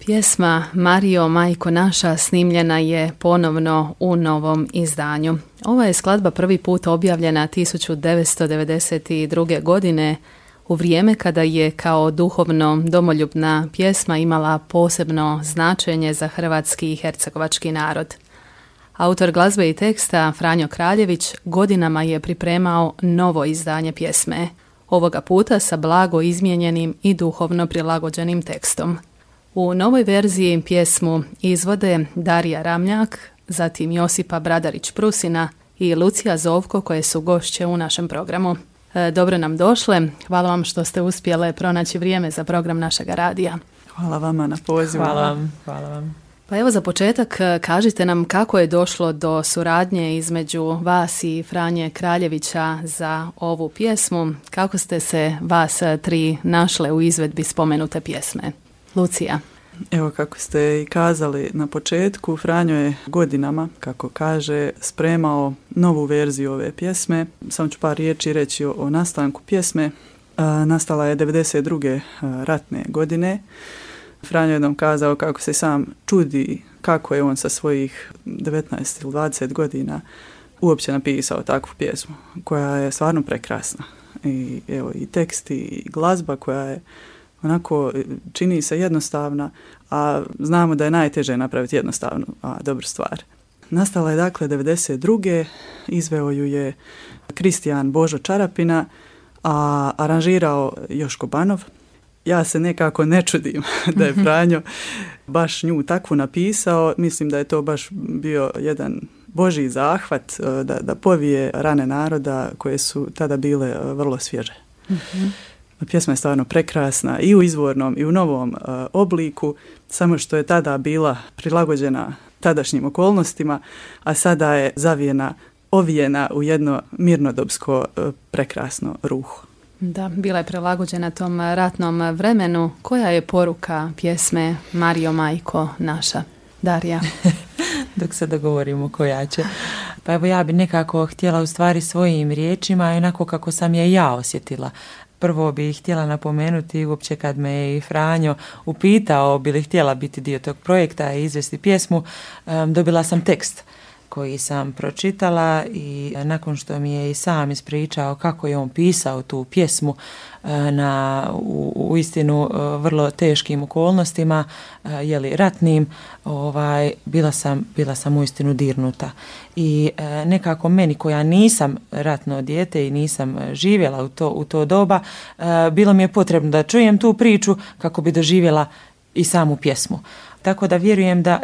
Pjesma Marijo, majko naša snimljena je ponovno u novom izdanju. Ova je skladba prvi put objavljena 1992. godine u vrijeme kada je kao duhovno domoljubna pjesma imala posebno značenje za hrvatski i hercegovački narod. Autor glazbe i teksta Franjo Kraljević godinama je pripremao novo izdanje pjesme, ovoga puta sa blago izmijenjenim i duhovno prilagođenim tekstom. U novoj verziji pjesmu izvode Darija Ramljak, zatim Josipa Bradarić-Prusina i Lucija Zovko, koje su gošće u našem programu. Dobro nam došle, hvala vam što ste uspjele pronaći vrijeme za program našega radija. Hvala vama na pozivu. Hvala vam. Pa evo za početak kažite nam kako je došlo do suradnje između vas i Franje Kraljevića za ovu pjesmu, kako ste se vas tri našle u izvedbi spomenute pjesme. Lucija. Evo kako ste i kazali na početku, Franjo je godinama, kako kaže, spremao novu verziju ove pjesme. Samo ću par riječi reći o nastanku pjesme. Nastala je 92. ratne godine. Franjo je jednom kazao kako se sam čudi kako je on sa svojih 19 ili 20 godina uopće napisao takvu pjesmu koja je stvarno prekrasna. I evo i tekst i glazba koja je onako čini se jednostavna, a znamo da je najteže napraviti jednostavnu, a dobru stvar. Nastala je dakle 92. Izveo ju je Kristijan Božo Čarapina, a aranžirao Joško Banov. Ja se nekako ne čudim da je Franjo baš nju takvu napisao. Mislim da je to baš bio jedan Božji zahvat da povije rane naroda koje su tada bile vrlo svježe. Pjesma je stvarno prekrasna i u izvornom i u novom obliku, samo što je tada bila prilagođena tadašnjim okolnostima, a sada je ovijena u jedno mirnodopsko prekrasno ruho. Da, bila je prilagođena tom ratnom vremenu. Koja je poruka pjesme Marijo, majko naša? Darija. Dok se dogovorimo koja će. Pa evo ja bi nekako htjela u stvari svojim riječima, onako kako sam je ja osjetila. Prvo bih htjela napomenuti, uopće kad me je i Franjo upitao bi li htjela biti dio tog projekta i izvesti pjesmu, dobila sam tekst koji sam pročitala i nakon što mi je i sam ispričao kako je on pisao tu pjesmu u istinu vrlo teškim okolnostima, ratnim, bila sam uistinu dirnuta. I nekako meni koja nisam ratno dijete i nisam živjela u to doba, bilo mi je potrebno da čujem tu priču kako bi doživjela i samu pjesmu. Tako da vjerujem da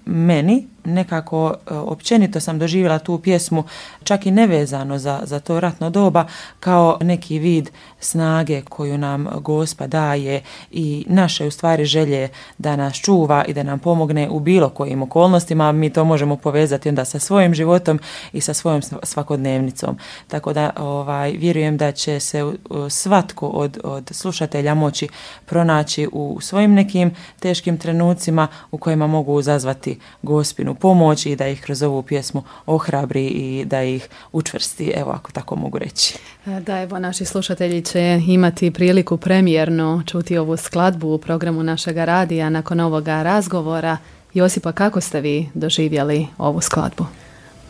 meni nekako općenito sam doživjela tu pjesmu čak i nevezano za to ratno doba kao neki vid snage koju nam Gospa daje i naše u stvari želje da nas čuva i da nam pomogne u bilo kojim okolnostima. Mi to možemo povezati onda sa svojim životom i sa svojom svakodnevnicom. Tako da vjerujem da će se svatko od slušatelja moći pronaći u svojim nekim teškim trenucima u kojima mogu uzazvati Gospinu pomoć i da ih kroz ovu pjesmu ohrabri i da ih učvrsti, ako tako mogu reći. Da, naši slušatelji će imati priliku premijerno čuti ovu skladbu u programu našega radija nakon ovoga razgovora. Josipa, kako ste vi doživjeli ovu skladbu?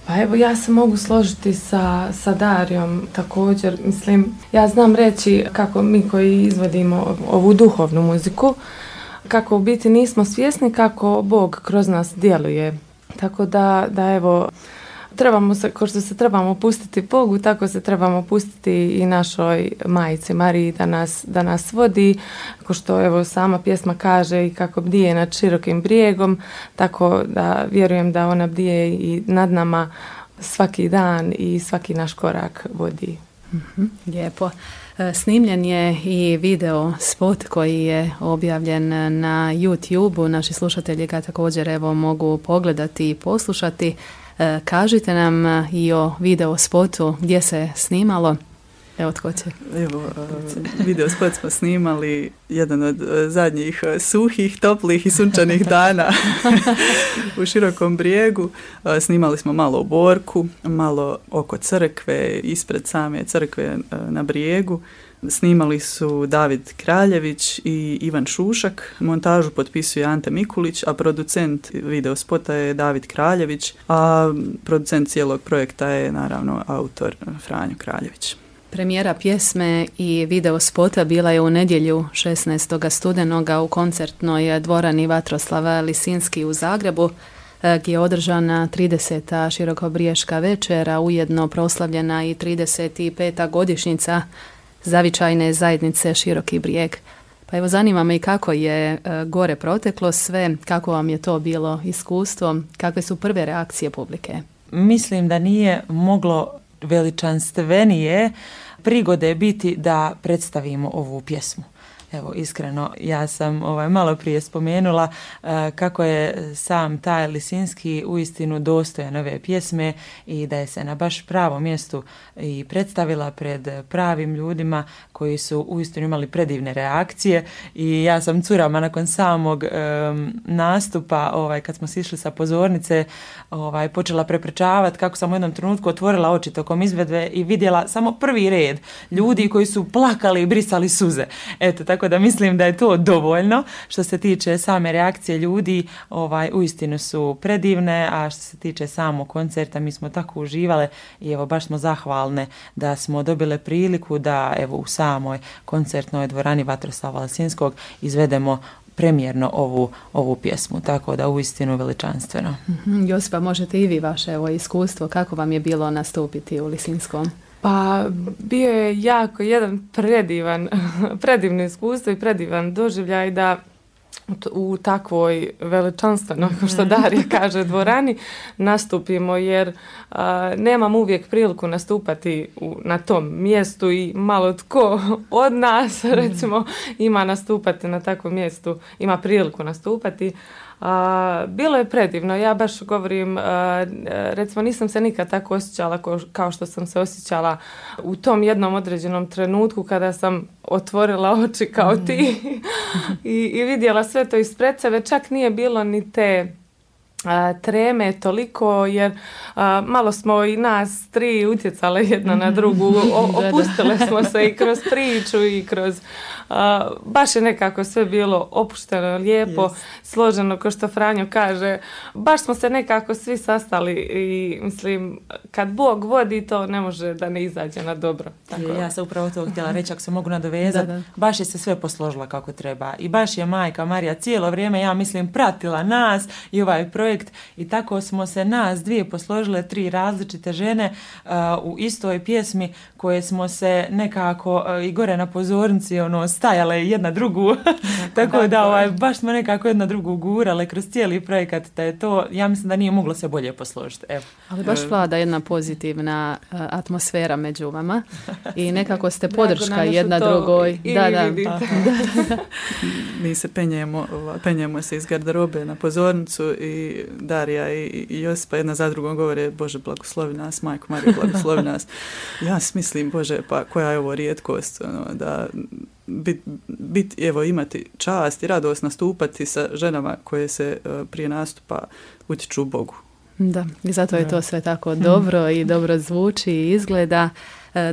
Pa ja se mogu složiti sa Darijom također. Mislim, ja znam reći kako mi koji izvodimo ovu duhovnu muziku, kako u biti nismo svjesni kako Bog kroz nas djeluje. Tako da trebamo se, kao što se trebamo pustiti Bogu, tako se trebamo pustiti i našoj majci Mariji da nas vodi, kao što sama pjesma kaže i kako bdije nad širokim brijegom, tako da vjerujem da ona bdije i nad nama svaki dan i svaki naš korak vodi. Lijepo. Snimljen je i video spot koji je objavljen na YouTube-u. Naši slušatelji ga također mogu pogledati i poslušati. Kažite nam i o video spotu gdje se snimalo. Tko će? Video spot smo snimali jedan od zadnjih suhih, toplih i sunčanih dana u Širokom Brijegu. Snimali smo malo u Borku, malo oko crkve, ispred same crkve na Brijegu. Snimali su David Kraljević i Ivan Šušak, montažu potpisuje Ante Mikulić, a producent videospota je David Kraljević, a producent cijelog projekta je naravno autor Franjo Kraljević. Premijera pjesme i videospota bila je u nedjelju 16. studenoga u koncertnoj dvorani Vatroslava Lisinski u Zagrebu, gdje je održana 30. širokobriješka večera, ujedno proslavljena i 35. godišnjica zavičajne zajednice Široki Brijeg. Pa evo, zanima me i kako je gore proteklo sve, kako vam je to bilo iskustvo, kakve su prve reakcije publike? Mislim da nije moglo veličanstvenije prigode biti da predstavimo ovu pjesmu. Evo, iskreno, ja sam malo prije spomenula kako je sam taj Lisinski uistinu dostojan ove pjesme i da je se na baš pravom mjestu i predstavila pred pravim ljudima koji su uistinu imali predivne reakcije i ja sam curama nakon samog nastupa, kad smo sišli sa pozornice, počela prepričavati kako sam u jednom trenutku otvorila oči tokom izvedbe i vidjela samo prvi red ljudi koji su plakali i brisali suze. Eto, tako da mislim da je to dovoljno. Što se tiče same reakcije ljudi, uistinu su predivne, a što se tiče samog koncerta, mi smo tako uživale i evo baš smo zahvalne da smo dobile priliku da evo u samoj koncertnoj dvorani Vatroslava Lisinskog izvedemo premijerno ovu pjesmu, tako da uistinu veličanstveno. Josipa, možete i vi vaše iskustvo, kako vam je bilo nastupiti u Lisinskom? Pa bio je jako jedan predivno iskustvo i predivan doživljaj da u takvoj veličanstvenoj, kao što Darija kaže, dvorani nastupimo, jer nemam uvijek priliku nastupati na tom mjestu i malo tko od nas recimo ima nastupati na takvom mjestu, ima priliku nastupati. Bilo je predivno, ja baš govorim, recimo nisam se nikad tako osjećala kao što sam se osjećala u tom jednom određenom trenutku kada sam otvorila oči kao ti i vidjela sve to ispred sebe, čak nije bilo ni te treme toliko, jer malo smo i nas tri utjecale jedna na drugu, opustile smo se i kroz priču i kroz baš je nekako sve bilo opušteno, lijepo, složeno, kao što Franjo kaže, baš smo se nekako svi sastali i mislim, kad Bog vodi, to ne može da ne izađe na dobro. Tako. Ja sam upravo to htjela reći, ako se mogu nadovezati, baš je se sve posložila kako treba i baš je Majka Marija cijelo vrijeme, ja mislim, pratila nas i ovaj projekt i tako smo se nas dvije posložile, tri različite žene u istoj pjesmi koje smo se nekako i gore na pozornici stajale jedna drugu, tako da baš smo nekako jedna drugu gurale kroz cijeli projekat, da je to, ja mislim da nije moglo se bolje posložiti. Evo. Ali baš vlada jedna pozitivna atmosfera među vama i nekako ste podrška jedna drugoj. Mi se penjemo se iz garderobe na pozornicu i Darija i Josipa jedna za drugom govore, Bože blagoslovi nas, Majko Marija blagoslovi nas. Ja mislim, Bože, pa koja je ovo rijetkost, da imati čast i radost nastupati sa ženama koje se prije nastupa utiču Bogu. Da, i zato je to sve tako dobro i dobro zvuči i izgleda.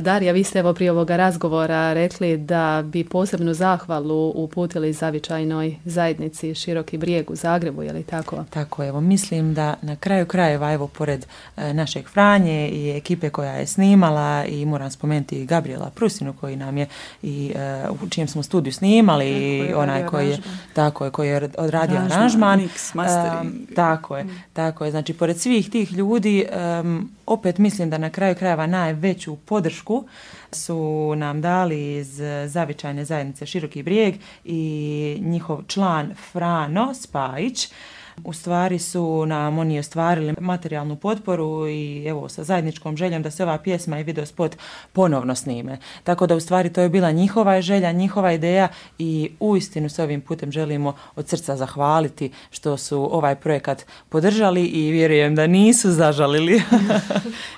Darija, vi ste prije ovoga razgovora rekli da bi posebnu zahvalu uputili zavičajnoj zajednici Široki Brijeg u Zagrebu, je li tako? Tako, evo, mislim da na kraju krajeva, pored našeg Franje i ekipe koja je snimala i moram spomenuti Gabriela Prusinu koji nam je i u čijem smo studiju snimali i onaj koji je odradio aranžman. Mix, mastering. Tako je. Znači, pored svih tih ljudi, opet mislim da na kraju krajeva najveću podršku su nam dali iz zavičajne zajednice Široki Brijeg i njihov član Frano Spajić. U stvari su nam oni ostvarili materijalnu potporu i evo sa zajedničkom željom da se ova pjesma i videospot ponovno snime. Tako da u stvari to je bila njihova želja, njihova ideja i uistinu se ovim putem želimo od srca zahvaliti što su ovaj projekat podržali i vjerujem da nisu zažalili.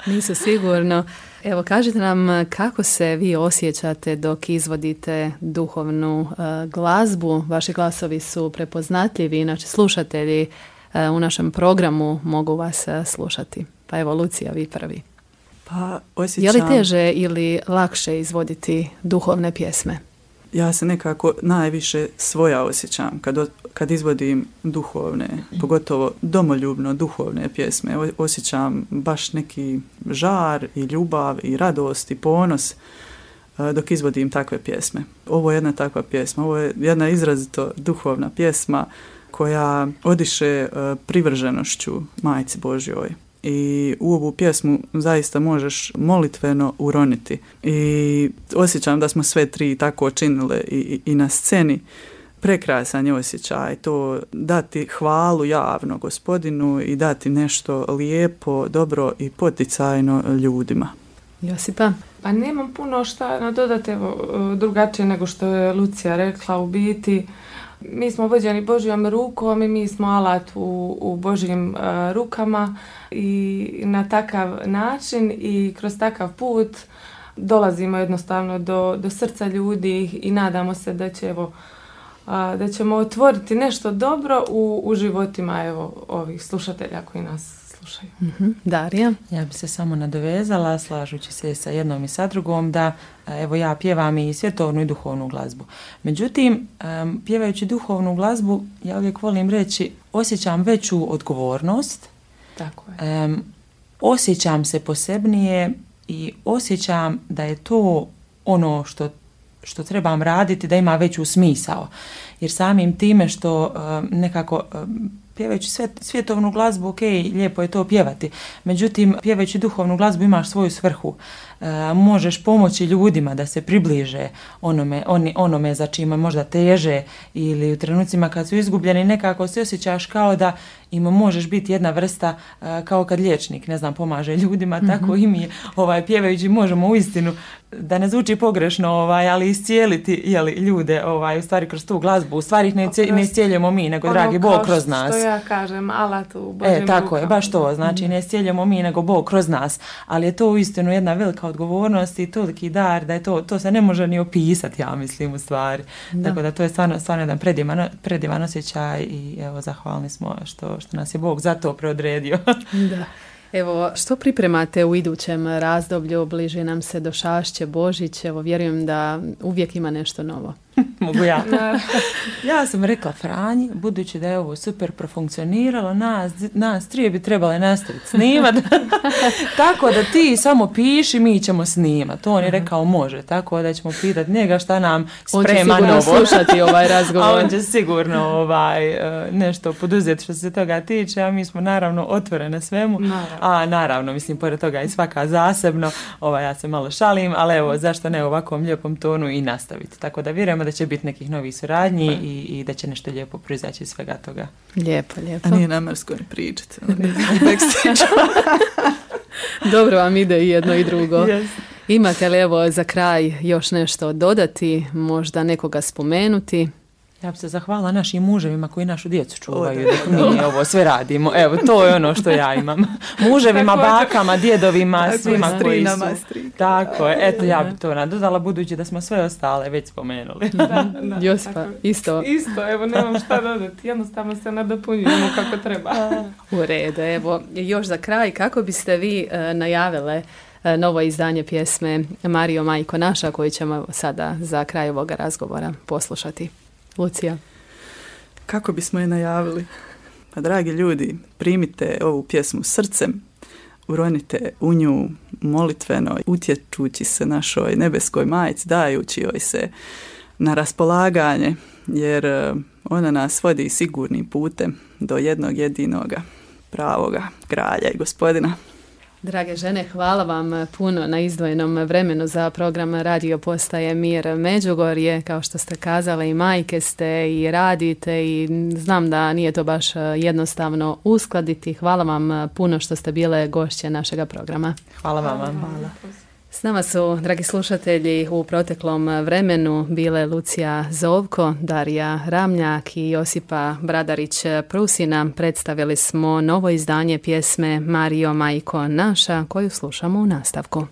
Nisu sigurno. Evo, kažite nam kako se vi osjećate dok izvodite duhovnu glazbu. Vaši glasovi su prepoznatljivi, inače slušatelji u našem programu mogu vas slušati. Pa evo, Lucija, vi prvi. Pa osjećam... Je li teže ili lakše izvoditi duhovne pjesme? Ja se nekako najviše svoja osjećam kad izvodim duhovne, pogotovo domoljubno duhovne pjesme. Osjećam baš neki žar i ljubav i radost i ponos dok izvodim takve pjesme. Ovo je jedna takva pjesma, ovo je jedna izrazito duhovna pjesma koja odiše privrženošću Majci Božjoj. I u ovu pjesmu zaista možeš molitveno uroniti. I osjećam da smo sve tri tako činile i na sceni. Prekrasan je osjećaj to dati hvalu javno Gospodinu i dati nešto lijepo, dobro i poticajno ljudima. Josipa? Pa nemam puno šta nadodati drugačije nego što je Lucija rekla. U biti mi smo vođeni Božjom rukom i mi smo alat u Božjim rukama i na takav način i kroz takav put dolazimo jednostavno do srca ljudi i nadamo se da ćemo otvoriti nešto dobro u životima ovih slušatelja koji nas slušaju. Darija? Ja bi se samo nadovezala, slažući se sa jednom i sa drugom, da ja pjevam i svjetovnu i duhovnu glazbu. Međutim, pjevajući duhovnu glazbu, ja uvijek volim reći, osjećam veću odgovornost. Tako je. Osjećam se posebnije i osjećam da je to ono što trebam raditi, da ima veću smisao. Jer samim time što nekako pjevajući svjetovnu glazbu, ok, lijepo je to pjevati. Međutim, pjevajući duhovnu glazbu imaš svoju svrhu. Možeš pomoći ljudima da se približe onome za čime možda teže ili u trenucima kad su izgubljeni nekako se osjećaš kao da im možeš biti jedna vrsta kao kad liječnik, pomaže ljudima, tako i mi pjevajući možemo uistinu, da ne zvuči pogrešno, ali iscijeliti ljude u stvari kroz tu glazbu. U stvari ih ne iscijeljujemo mi, nego dragi Bog kroz nas. Što ja kažem, alat u Božjem tako rukama. Je, baš to, znači ne iscijeljujemo mi, nego Bog kroz nas. Ali je to uistinu jedna velika odgovornost i toliki dar da je to se ne može ni opisati, ja mislim, u stvari. Da. Tako da to je stvarno jedan predivan osjećaj i evo, zahvalni smo što nas je Bog za to preodredio. Da. Evo, što pripremate u idućem razdoblju? Bliži nam se Došašće, Božić. Evo, vjerujem da uvijek ima nešto novo. Mogu ja. Ja sam rekla Franji, budući da je ovo super profunkcioniralo, nas trije bi trebale nastaviti snimati. Tako da ti samo piši, mi ćemo snimati. On je rekao može, tako da ćemo pitati njega šta nam sprema novo. On će sigurno slušati ovaj razgovor. A on će sigurno nešto poduzeti što se toga tiče, a mi smo naravno otvorene svemu. Naravno, mislim, pored toga i svaka zasebno, ja se malo šalim, ali evo, zašto ne u ovakvom lijepom tonu i nastaviti. Tako da vjerujemo da će biti nekih novih suradnji i da će nešto lijepo proizaći iz svega toga. Lijepo. A nije namrsko ni pričati. Dobro vam ide i jedno i drugo. Yes. Imate li evo za kraj još nešto dodati, možda nekoga spomenuti? Ja bi se zahvala našim muževima koji našu djecu čuvaju dok mi ovo sve radimo. Evo, to je ono što ja imam. Muževima, bakama, djedovima, svima koji su. Tako je. Eto, ja bi to nadodala budući da smo sve ostale već spomenuli. Da, Josipa, isto. Isto, evo, nemam šta dodati. Jednostavno se nadopunjujemo kako treba. U redu, evo, još za kraj, kako biste vi najavile novo izdanje pjesme Marijo Majko naša, koju ćemo sada za kraj ovoga razgovora poslušati? Lucija. Kako bismo je najavili? Pa dragi ljudi, primite ovu pjesmu srcem, uronite u nju molitveno, utječući se našoj nebeskoj majci, dajući joj se na raspolaganje, jer ona nas vodi sigurnim putem do jednog jedinoga pravoga kralja i Gospodina. Drage žene, hvala vam puno na izdvojenom vremenu za program Radio Postaje Mir Međugorje. Kao što ste kazali, i majke ste i radite i znam da nije to baš jednostavno uskladiti. Hvala vam puno što ste bile gošće našega programa. Hvala vama. Hvala. S nama su, dragi slušatelji, u proteklom vremenu bile Lucija Zovko, Darija Ramljak i Josipa Bradarić-Prusina. Predstavili smo novo izdanje pjesme Marijo Majko naša, koju slušamo u nastavku.